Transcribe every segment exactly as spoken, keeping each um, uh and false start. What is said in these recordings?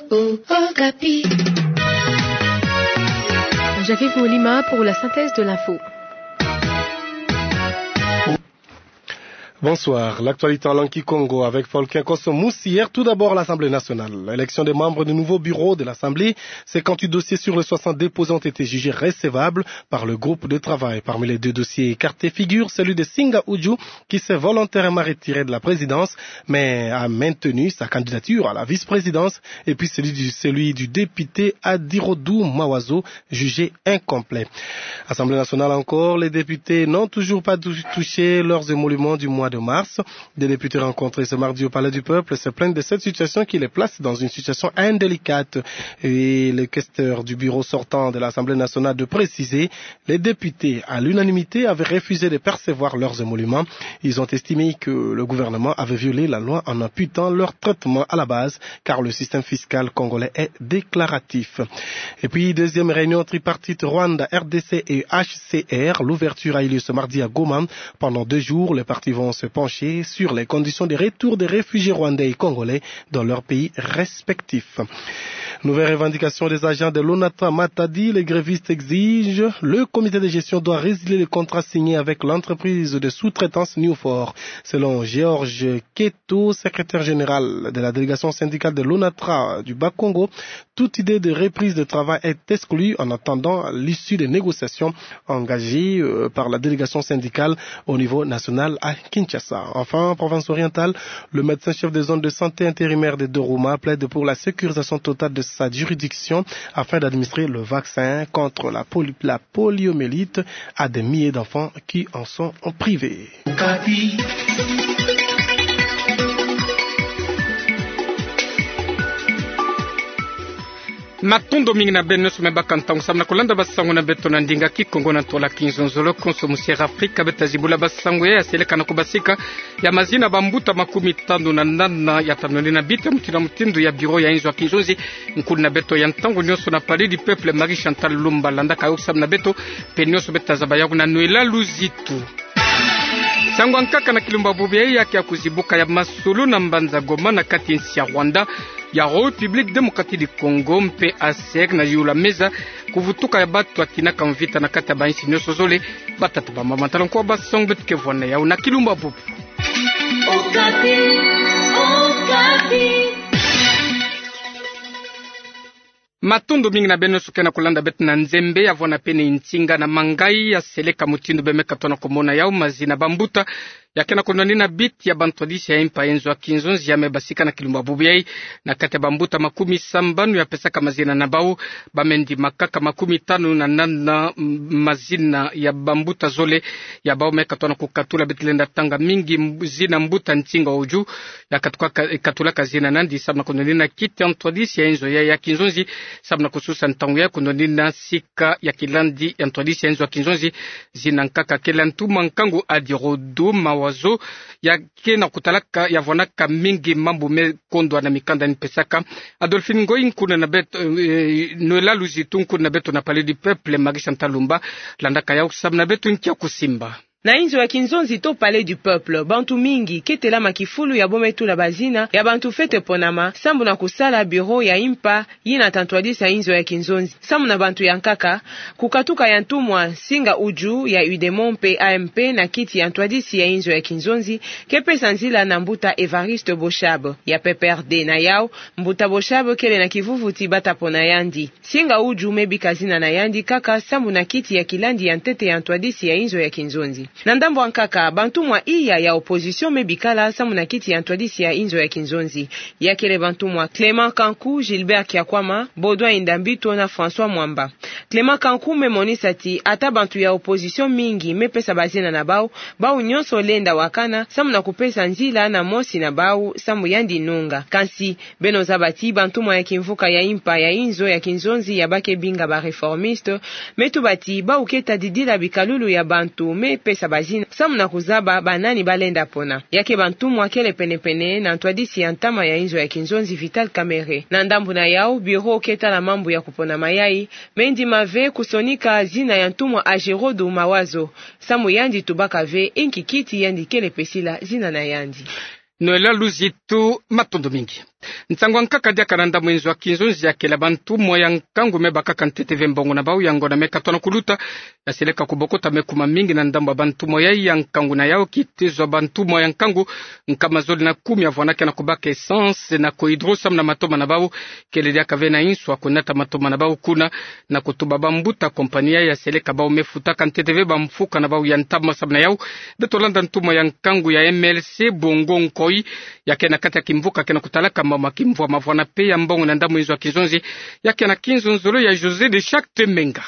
Au Okapi. Jacques Molima pour la synthèse de l'info. Bonsoir. L'actualité en langue kikongo avec Faulkien Kosso Moussière. Tout d'abord, l'Assemblée nationale. L'élection des membres du nouveau bureau de l'Assemblée. Cinquante-huit dossiers sur les soixante déposés ont été jugés recevables par le groupe de travail. Parmi les deux dossiers écartés figure celui de Singa Uju, qui s'est volontairement retiré de la présidence, mais a maintenu sa candidature à la vice-présidence, et puis celui du, celui du député Adirodou Mawazo, jugé incomplet. Assemblée nationale encore, les députés n'ont toujours pas tou-, touché leurs émoluments du mois de mars. Des députés rencontrés ce mardi au Palais du Peuple se plaignent de cette situation qui les place dans une situation indélicate. Et le questeur du bureau sortant de l'Assemblée nationale de préciser, les députés, à l'unanimité, avaient refusé de percevoir leurs émoluments. Ils ont estimé que le gouvernement avait violé la loi en amputant leur traitement à la base, car le système fiscal congolais est déclaratif. Et puis, deuxième réunion tripartite Rwanda, R D C et H C R. L'ouverture a eu lieu ce mardi à Goma. Pendant deux jours, les parties vont se pencher sur les conditions de retour des réfugiés rwandais et congolais dans leurs pays respectifs. Nouvelle revendication des agents de l'ONATRA Matadi, les grévistes exigent le comité de gestion doit résilier le contrat signé avec l'entreprise de sous-traitance Newfor. Selon Georges Keto, secrétaire général de la délégation syndicale de l'ONATRA du Bas-Congo, toute idée de reprise de travail est exclue en attendant l'issue des négociations engagées, euh, par la délégation syndicale au niveau national à Kinshasa. Enfin, en province orientale, le médecin chef des zones de santé intérimaire de Doruma plaide pour la sécurisation totale de sa juridiction afin d'administrer le vaccin contre la poli-, la poliomyélite à des milliers d'enfants qui en sont privés. Matondo mingi na beno nyonso me baka ntangu samu na kulanda basango na beto na ndinga Kikongo na ntola Kinzonzolo. Konso musi Afrika, beta zibula basango ya seleka na kubasika ya mazina bambuta makumi tanu na nana ya tanonina biti ya mutindu na mutindu ya bureau ya inzo ya kinzonzi. Nkulu na beto ya ntangu nyonso na Palais du Peuple, Marie Chantal Lumba, landaka yo samu na beto mpe nyonso beta zaba yawu na Noëlla Luzitu. Sango ya nkaka na kilumbu bubu yayi ya ke ya kuzibuka ya masolo na mbanza Goma na kati nsi ya Rwanda, ya République Démocratique du Congo mpe ASEC na yula meza kuvutuka ya batu ya tinaka mvita na kati ya bansi nyonso zole. Batata, bamama, tala nkuwa basango beto ke vwanda yawu na kilumbu bubu. Okapi, Okapi. Matondo mingi na beno nyonso ke na kulanda beto na nzembe ya vwanda pene nsinga na mangayi ya seleka mutindu beno me katuka na kumona yawu, mazina bambuta ya ke na kunwanina biti ya bantwadisi ya impa ya inzo ya kinzonzi ya me basika na kilumbu bubu yayi. Na kati ya bambuta makumi sambanu ya pesaka mazina na bawu, ba me ndima kaka makumi tanu na nana, m-, mazina ya bambuta zole ya bawu me katuka na kukatula. Beto lenda tanga mingi m-, zina mbuta Nsinga Uju, ya katuka ka-, katulaka zina na yandi samu na kunwanina kiti ya ntwadisi ya inzo ya, ya kinzonzi, samu na kususa ntangu ya kunwanina sika ya kilandi ya ntwadisi ya inzo ya kinzonzi. Zina nkaka kele ntumwa nkangu Adirodou Mawazo, ya ke na kutalaka, ya vwanaka mingi mambu me kondwa na mikanda ni pesaka. Adolphine Ngoyi, nkulu na beto, eh, Noëlla Luzitu, nkulu na beto na Palais du Peuple, Marie Chantal Lumba, landaka yawu samu na beto nkia kusimba. Na inzo ya kinzonzi to Palais du Peuple, bantu mingi ke telama kifulu ya bo me tula bazina ya bantu fwete ponama, sambu na kusala bureau ya impa yina ta ntwadisa inzo ya kinzonzi. Samu na bantu ya nkaka, kukatuka ya ntumwa Nsinga Uju ya UDEMO mpe AMP na kiti ya ntwadisi ya inzo ya kinzonzi ke pesa nzila na mbuta Évariste Boshab ya PPRD. Na yawu, mbuta Boshab kele na kivuvuti bata pona yandi. Nsinga Uju me bika zina na yandi kaka sambu na kiti ya kilandi ya ntete ya ntwadisi ya inzo ya kinzonzi. Na ndambu ya nkaka, bantumwa iya ya opposition me bikala sambu na kiti ya ntwadisi ya inzo ya kinzonzi. Ya kele bantumwa Clément Kanku, Gilbert Kiakwama, Baudouin Ndambito na François Mwamba. Clément Kanku me monisa ti ata bantu ya opposition mingi me pesa bazina na bawu, bawu nyonso lenda wakana samu na kupesa nzila na mosi na bawu, samu yandi nunga. Kansi, beno zaba ti bantumwa ya kimvuka ya impa ya inzo ya kinzonzi ya ba ke binga ba réformistes, me tuba ti bawu ke tadidila bikalulu ya bantu me pesa bazina samu na kuzaba banani ba lenda pona. Ya ke bantumwa kele penepene na ntwadisi ya ntama ya inzo ya kinzonzi Vital Kamerhe. Na ndambu na yawu, bureau ke tala mambu ya kupona mayayi me ndima ve kusonika zina ya ntumwa Adirodou Mawazo, samu yandi tubaka ve inki kiti yandi kele pesila zina na yandi. Noëlla Luzitu, matondo mingi. Nsangu ya nkaka diaka na ndambu nzo ya kinzonzi ya kele bantumwa ya nkangu me bakaka ntete ve mbongo na bau, yango na me katwa na kuluta, ya seleka kubokota me kuma mingi na ndambu ya bantumwa yai ya nkangu na yau. Kitezo ya bantumwa ya nkangu nkama zole na kumi ya vwanda ke na kubaka essence na Cohydro samu na matoma na bau, kele diaka ve na inso ya kunata matoma na bau kuna, na kutuba bambuta kompani yai ya seleka bau me futaka ntete ve bamfuka na bau ya ntama. Samu na yau, beto landa ntumwa ya nkangu ya M L C, Bongo Nkoy, ya ke na kati ya kimvuka ke na kutalaka mama kimvwama vwanda pe ya mbongo na ndambu nzo ya kinzonzi, ya ke na kinzonzolo ya José de Chacte Menga.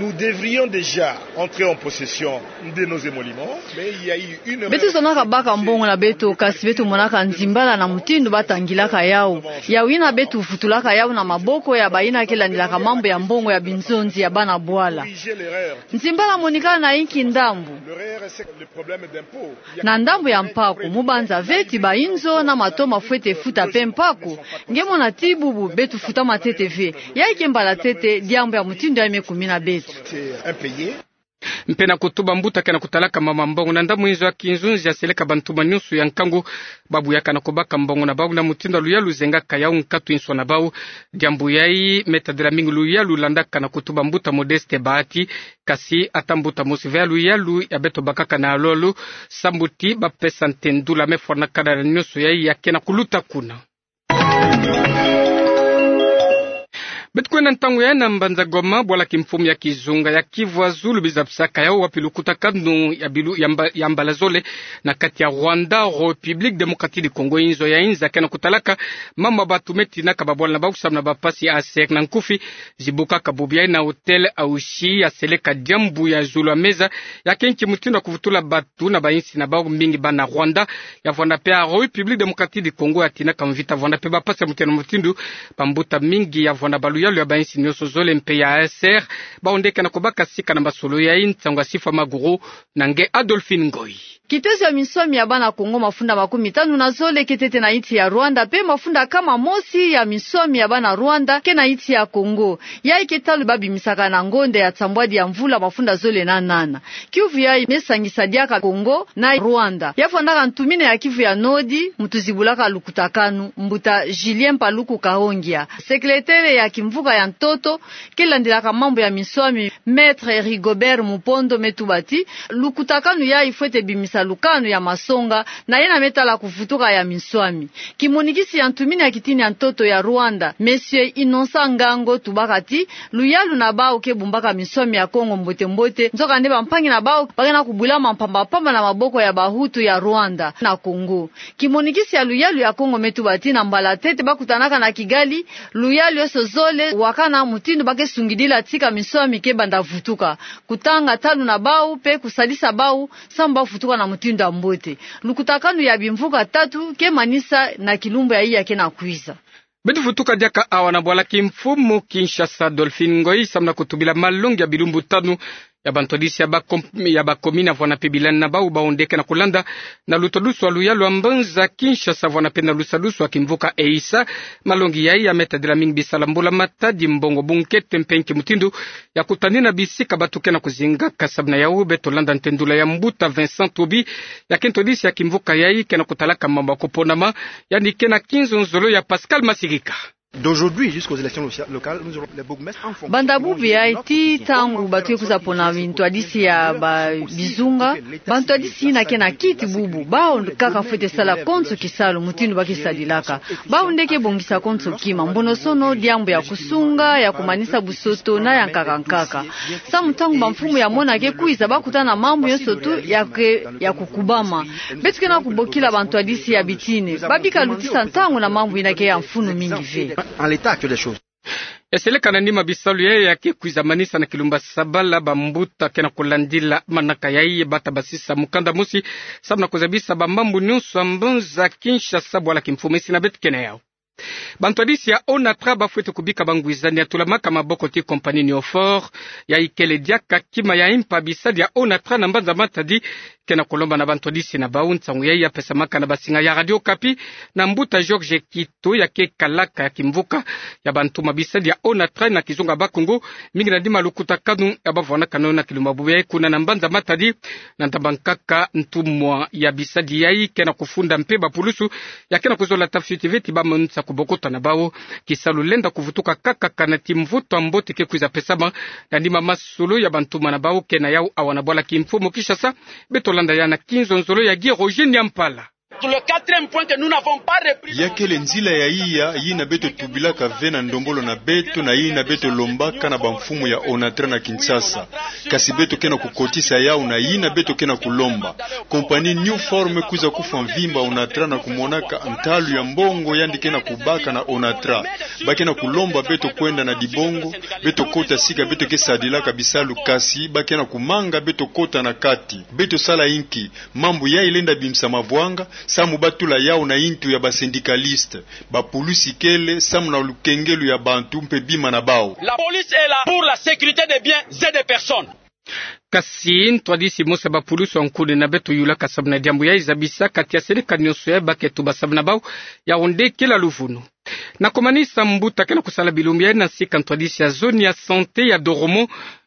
Nous devrions déjà entrer en possession de nos émoluments, mais il y a eu une... Beto zonaka baka mbongo na beto, kasi beto monaka nzimbala na mutindu batangilaka yau. Yau yina beto vutulaka yau na maboko ya bayina ke landilaka mambu ya mbongo ya binzonzi ya bana bwala. Nzimbala monikana na inki ndambu? Na ndambu ya mpaku, mu banza ve ti bainzo na matoma fwete futa pe mpaku. Nge mona ti bubu beto futama ntete ve. Yai ke mbala ntete diambu ya mutindu yai me kumina beto. Mpe na kutuba mbuta ke na kutalaka mama mbongo na ndambu nzo ya kinzonzi ya seleka bantumwa nyonso ya nkangu, babu yaka na kubaka mbongo na bau na mutindu ya luyalu zengaka yau nkatu inso na bau. Diambu yai me tadila mingi luyalu landaka na kutuba mbuta Modeste Bahati, kasi ata mbuta mosi ve ya luyalu ya beto bakaka na lolo, sambu ti bapesa ntendula me fwanakana na nyonso yai ya ke na kuluta kuna. Beto kwenda ntangu yai na mbanza Goma, bwala kimfumu ya kizunga ya Kivu ya Zulu biza bisaka yau wapi lukutakanu ya bilu-, ya mba-, ya mbala zole na kati ya Rwanda, République Démocratique du Congo, inzo ya inza ke na kutalaka mama batu me tinaka babwala na bau samu na bapasi ya ASER na nkufi, zibukaka bubu yai na hôtel Auchy, ya seleka diambu ya zulu ya meza, ya ke nki mutindu ya kuvutula batu na bayinsi na bau, mingi bana Rwanda, ya vwanda pe ya République Démocratique du Congo ya tinaka mvita, vwanda pe bapasi ya mutindu na mutindu. Bambuta mingi ya vwanda ba luyalu ya bayinsi nyonso zole mpe ya ASER, bau nde ke na kubaka sika na masolo yai. Nsangu ya Sifa Maguru na nge Adolphine Ngoy. Kitezo ya minswami ya bana Kongo mafunda makumi tanu na zole ke ntete na insi ya Rwanda, mpe mafunda kama mosi ya minswami ya bana Rwanda ke na insi ya Kongo. Yai ke ntalu babimisaka na ngonda ya nsambwadi ya mvula mafunda zole na nana. Kiuvu yai me sangisa diaka Kongo na Rwanda. Ya vwandaka ntumina ya Kivu ya Nord, muntu zibulaka lukutakanu, mbuta Julien Paluku Kahongia. Sekeletere ya kimvuka ya ntoto, ke landilaka mambu ya minswami, Maître Rigobert Mupondo, me tuba ti lukutakanu yai fwete bimisa lukanu ya masonga na yena me tala kuvutuka ya minswami. Kimonikisi ya ntumina ya kitini ya ntoto ya Rwanda, Monsieur Innocent Ngango, tubaka ti luyalu na bau ke bumbaka minswami ya Kongo mbote mbote, nzokande bampangi na bau ba ke na kubwilama mpamba mpamba na maboko ya Bahutu ya Rwanda na Kongo. Kimonikisi ya luyalu ya Kongo me tuba ti na mbala ntete bakutanaka na Kigali, luyalu yonso zole wakana mutindu ba ke sungidila tika minswami ke banda vutuka, kutanga ntalu na bau mpe kusalisa bau samu bavutuka na mutindu ya mbote. Lukutakanu ya bimvuka tatu ke manisa na kilumbu yai ya ke na kwiza. Beto vutuka diaka awa na bwala kimfumu Kinshasa, Adolphine Ngoy, samu na kutubila malongi ya bilumbu tanu ya bantwadisi ya bakom-, ya bakomini vwanda mpe bilani na bau, bau nde ke na kulanda na lutwadusu ya luyalu ya mbanza Kinshasa vwanda mpe na lusadusu ya kimvuka EISA. Malongi yai ya me tadila mingi bisala mbula matadi, mbongo, bunkete mpe nki mutindu ya kutanina bisika batu ke na kuzingaka. Samu na yau beto landa ntendula ya mbuta Vincent Tobi, ya ke ntwadisi ya kimvuka yai ke na kutalaka mambu ya kuponama, yandi ke na kinzonzolo ya Pascal Masigika. D'aujourd'hui jusqu'aux élections loca-, locales, nous aurons les bourgmestres en fonction. Banda bubu yai tii ntangu batu ke kwiza pona bantwadisi ya ba bizunga, bantwadisi yina ke na kiti bubu, bau kaka fwete sala konso kisalu mutindu ba ke sadilaka. Bau nde ke bongisa konso kima, mbonosono, diambu ya kusunga, ya kumanisa busoto na ya nkaka nkaka. Samu ntangu bamfumu ya mona ke kwiza, bakutana na mambu yonso tu ya ke, ya kukubama. Beto ke na kubokila bantwadisi ya bitini babika lutisa ntangu na mambu yina ke ya mfunu mingi ve. En l'état actuel des choses. Eseleka na nima bisalu yai ya ke kwiza manisa na kilumbu ya sabala, bambuta ke na kulandila manaka yai, bata basisa mukanda mosi samu na kuzabisa bamambu nyonso ya mbanza Kinshasa, bwala kimfumu, isi na beto ke na yau. Bantwadisi ya ONATRA bafwete kubika bangwizani ya tulamaka maboko ti compagnie Newfort, yayi kele diaka kima ya impa bisadi ya ONATRA na mbanza matadi, ke na kulomba na bantwadisi na bau. Nsangu yayi ya pesamaka na basinga ya Radio Okapi na mbuta Georges Kito, ya ke kalaka ya kimvuka ya bantu ma bisadi ya ONATRA na kizunga Bakongo, mingi na dima lukutakanu ya bavwanakano na kilumbu ya kuna na mbanza matadi. Na ntaba nkaka, ntumwa ya bisadi yayi ke na kufunda mpe bapulusu ya ke na kuzola ta fioti veti bamanisa kubokota na bau. Kisalu lenda kuvutuka kaka kana ti mvutu ya mbote ke kwiza pesama na dima masolo ya bantumwa na bau ke na yau awa na bwala kimfumu Kinshasa. Beto landa ya na kinzonzolo ya Guy Roger Niampala. Pour le quatrième point que nous n'avons pas repris. Ya kele nzila ya iya yina beto tubilaka ve na ndombolo na beto na yina beto lombaka na bamfumu ya ONATRA na Kinshasa. Kasi beto ke na kukotisa yau na yina beto ke na kulomba. Compagnie Newfort kwiza kufwa mvimba ONATRA na kumonaka ntalu ya mbongo yandi ke na kubaka na ONATRA. Ba ke na kulomba beto kwenda na dibongo, beto kota sika beto ke sadilaka bisalu, kasi ba ke na kumanga beto kota na kati. Beto sala inki? Mambu yayi lenda bimisa mavwanga, samu ba tula yau na yintu ya basyndicalistes. Bapulusi kele samu na lukengelu ya bantu mpe bima na bau. La police est là pour la sécurité des biens et des personnes. Kasi ntwadisi mosi ya bapulusu ya nkuni na beto yulaka samu na diambu yayi zabisaka tia seleka nionso yayi ba ke tuba samu na bau, yau nde kela luvunu. Na kumanisa, mbuta ke na kusala bilumbu yayi na sika ntwadisi ya zone ya santé ya Doroman,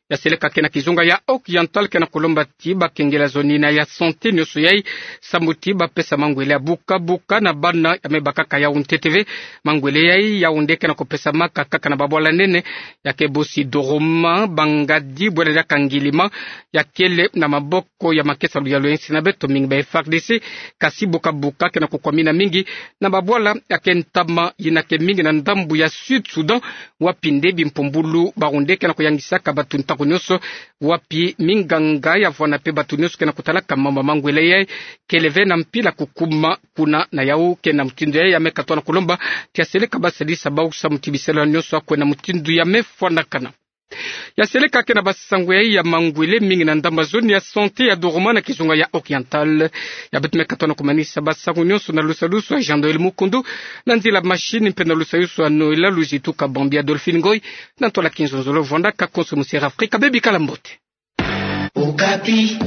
ya seleka ke na kizunga ya Haut-Oriental, ke na kulomba ti bakengela zone yina ya santé nionso yayi, samu ti bapesa mangwele ya buka buka na bana ya me bakaka yau ntete ve. Mangwele yayi yau nde ke na kupesamaka kaka na babwala nene, ya ke bosi Doroman, Bangadi, bwela diaka Ngilima, ya kele na maboko ya makesa luyalu ya insi na beto mingi ba F A R D C, kasi buka buka ke na kukwamina mingi na babwala ya ke ntama yina ke mingi na ndambu ya Sud Soudan, wapi nde bimpumbulu bawu nde ke na kuyangisaka bato ntangu nionso, wapi minganga ya vwanda mpe bato nionso ke na kutalaka mambu ya mangwele yayi, kele ve na mpila kukuma kuna. Na yau ke na mutindu yayi ya me katuka na kulomba tia seleka basadisa bau samu ti bisalu nionso ya kwenda mutindu ya me fwanakana. Ya seleka ke na basango yayi ya mangwele mingi na ndambu ya zone ya santé ya Doroman na kizunga ya Haut-Oriental. Ya beto me katuka na kumanisa basango nionso na lusalusu ya Jean Noël Mukundu, na nzila machine mpe na lusalusu ya Noël Luzitu Kabambi. Adolphine Ngoy na ntwala kinzonzolo vwandaka konso mu Sierra Afrika. Bebikala mbote. Okapi.